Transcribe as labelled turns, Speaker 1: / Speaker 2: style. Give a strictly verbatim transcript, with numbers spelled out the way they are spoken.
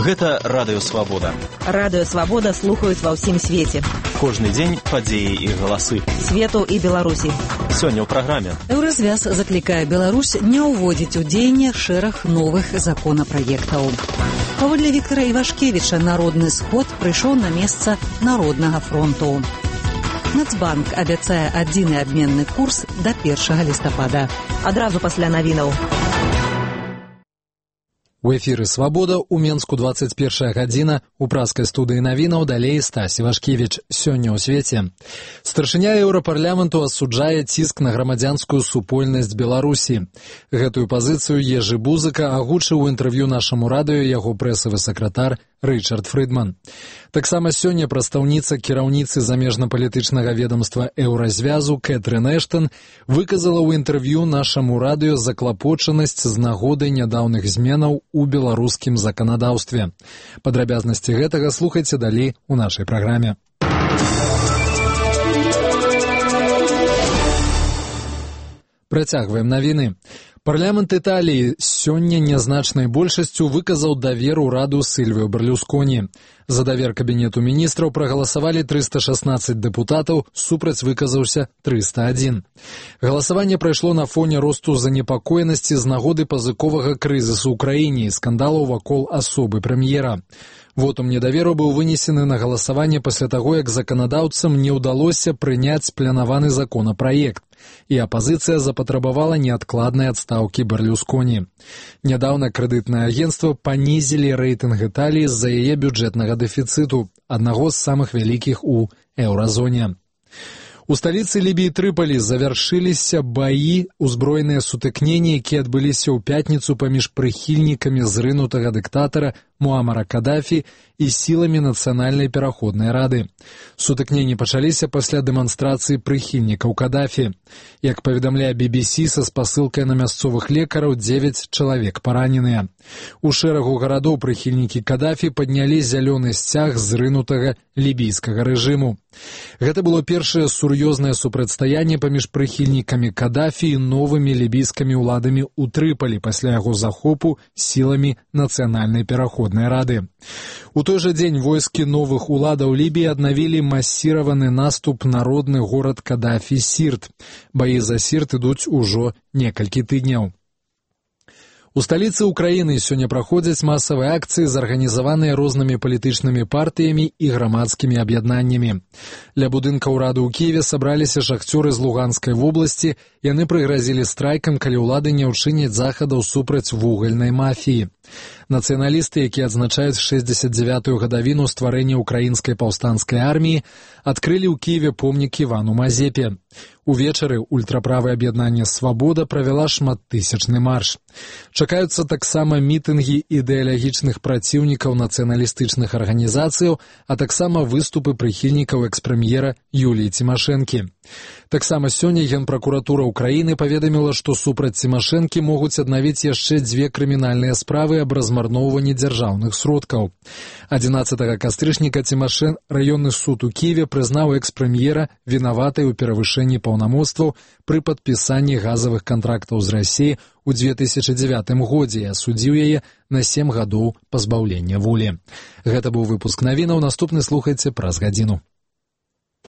Speaker 1: Гэта Радыё Свабода.
Speaker 2: Радыё Свабода слухаюць ва ўсім свеце.
Speaker 1: Кожны дзень падзеі і галасы.
Speaker 2: Свету і Беларусі.
Speaker 1: Сёння ў праграме.
Speaker 3: Еўразвяз заклікае Беларусь не ўводзіць у дзеянне шэраг новых законапраектаў. Паводле Віктара Івашкевіча, народны сход прыйшоў на месца Народнага фронту. Нацбанк абяцае адзіны абменны курс да першага лістапада.
Speaker 2: Адразу пасля навінаў.
Speaker 4: У эфіры «Свабода» у Менску двадцать першая гадзіна, у праскай студыі навінаў далей Стась Івашкевіч. Сёння ў свеце. Старшыня Еўрапарламенту асуджае ціск на грамадзянскую супольнасць Беларусі. Гэтую пазіцыю Ежы Бузыка агучыў у інтэрв'ю нашаму радыё яго прэсавы сакратар Рычард Фрыдман. Таксама сёння прадстаўніца кіраўніцы замежна-палітычнага ведамства Еўразвязу Кэтрын Эштон выказала ў інтэрв'ю нашаму радыё заклапочанасць з нагоды нядаўных зменаў у беларускім заканадаўстве. Падрабязнасці гэтага слухайце далей у нашай праграме. Працягваем навіны. Парламент Італіі сёння нязначнай большасцю выказаў давер ураду Сільвіо Берлусконі. За давер кабінету міністраў прагаласавалі трыста шаснаццаць дэпутатаў, супраць выказаўся трыста адзін. Галасаванне прайшло на фоне росту занепакоенасці з нагоды пазыковага крызісу ў краіне і скандалаў вакол асобы прэм'ера. Вотум недаверу быў вынесены на галасаванне пасля таго, як заканадаўцам не ўдалося прыняць планаваны законапраект, і апазіцыя запатрабавала неадкладнай адстаўкі Берлусконі. Нядаўна крэдытнае агенцтва панізілі рэйтынг Італіі з-за яе бюджэтнага дэфіцыту, аднаго з самых вялікіх у еўразоне. У сталіцы Лібіі Трыполі завяршыліся баі, узброеныя сутыкненні, якія адбыліся ў пятніцу паміж прыхільнікамі зрынутага дыктатара Муамара Кадафі і сіламі Нацыянальнай пераходнай рады. Сутыкненні пачаліся пасля дэманстрацыі прыхільнікаў Кадафі. Як паведамляе би би сі са спасылкай на мясцовых лекараў, дзевяць чалавек параненыя. У шэрагу гарадоў прыхільнікі Кадафі паднялі зялёны сцяг зрынутага лібійскага рэжыму. Гэта было першае сур'ёзнае супрацьстаянне паміж прыхільнікамі Кадафі і новымі лібійскімі ўладамі ў Трыполі пасля яго захопу сіламі Нацыянальнай пераходнай рады. У той жа дзень войскі новых уладаў Лібіі аднавілі масіраваны наступ на родны горад Кадафі Сірт. Баі за Сірт ідуць ужо некалькі тыдняў. У сталіцы ўкраіны сёння праходзяць масавыя акцыі, зарганізаваныя рознымі палітычнымі партыямі і грамадскімі аб'яднаннямі. Ля будынка ўраду ў Кіеве сабраліся шахцёры з Луганскай вобласці, яны прыгразілі страйкам, калі ўлады не ўчыняць захадаў супраць вугальнай мафіі. Нацыяналісты, якія адзначаюць шэсцьдзесят дзявятую гадавіну стварэння украінскай паўстанцкай арміі, адкрылі ў Кіеве помнік Івану Мазепе. Увечары ультраправае аб'яднанне «Свабода» правяла шматтысячны марш. Чакаюцца таксама мітынгі ідэалагічных праціўнікаў нацыяналістычных арганізацыяў, а таксама выступы прыхільнікаў экс-прэм'ера Юліі Цімашэнкі. Таксама сёння Генпракуратура ўкраіны паведаміла, што супраць Цімашэнкі могуць аднавіць яшчэ дзве крымінальныя справы аб размарноўванні дзяржаўных сродкаў. адзінаццатага кастрычніка Цімашэн раённы суд у Кіеве прызнаў экс-прэм'ера вінаватай у перавышэнні паўнамоцтваў пры падпісанні газавых кантрактаў з Расіяй у две тысячы дзевятым годзе і асудзіў яе на сем гадоў пазбаўлення волі. Гэта быў выпуск навінаў, наступны слухайце праз гадзіну.